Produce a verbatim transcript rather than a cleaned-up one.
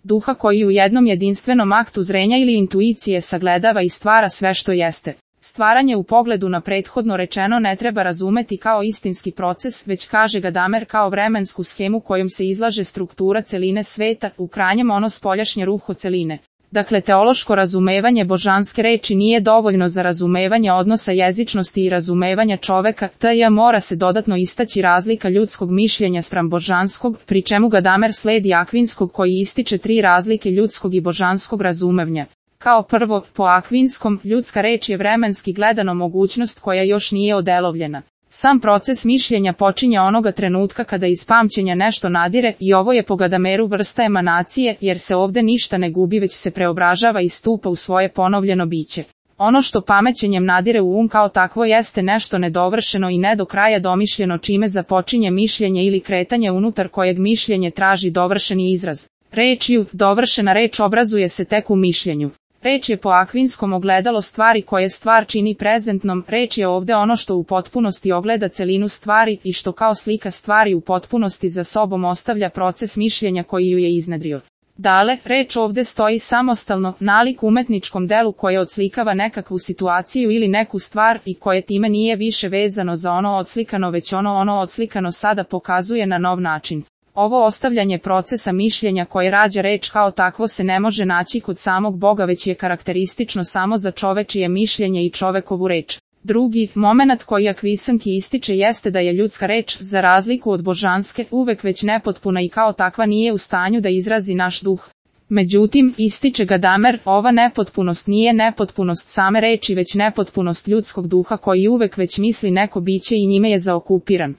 duha koji u jednom jedinstvenom aktu zrenja ili intuicije sagledava i stvara sve što jeste. Stvaranje u pogledu na prethodno rečeno ne treba razumeti kao istinski proces, već kaže Gadamer kao vremensku schemu kojom se izlaže struktura celine sveta, u krajnjem ono spoljašnje ruho celine. Dakle, teološko razumevanje božanske reči nije dovoljno za razumevanje odnosa jezičnosti i razumevanja čoveka, tj. mora se dodatno istaći razlika ljudskog mišljenja spram božanskog, pri čemu Gadamer sledi Akvinskog koji ističe tri razlike ljudskog i božanskog razumevanja. Kao prvo, po Akvinskom, ljudska reč je vremenski gledano mogućnost koja još nije odelovljena. Sam proces mišljenja počinje onoga trenutka kada iz pamćenja nešto nadire i ovo je po Gadameru vrsta emanacije, jer se ovde ništa ne gubi već se preobražava i stupa u svoje ponovljeno biće. Ono što pamećenjem nadire u um kao takvo jeste nešto nedovršeno i ne do kraja domišljeno čime započinje mišljenje ili kretanje unutar kojeg mišljenje traži dovršeni izraz. Rečju, dovršena reč obrazuje se tek u mišljenju. Reč je po Akvinskom ogledalo stvari koje stvar čini prezentnom, reč je ovde ono što u potpunosti ogleda celinu stvari i što kao slika stvari u potpunosti za sobom ostavlja proces mišljenja koji ju je iznedrio. Dale, reč ovde stoji samostalno, nalik umetničkom delu koje odslikava nekakvu situaciju ili neku stvar i koje time nije više vezano za ono odslikano već ono ono odslikano sada pokazuje na nov način. Ovo ostavljanje procesa mišljenja koje rađa reč kao takvo se ne može naći kod samog Boga već je karakteristično samo za čovečije mišljenje i čovekovu reč. Drugi momenat koji Akvisanki ističe jeste da je ljudska reč, za razliku od božanske, uvek već nepotpuna i kao takva nije u stanju da izrazi naš duh. Međutim, ističe Gadamer, ova nepotpunost nije nepotpunost same reči već nepotpunost ljudskog duha koji uvek već misli neko biće i njime je zaokupiran.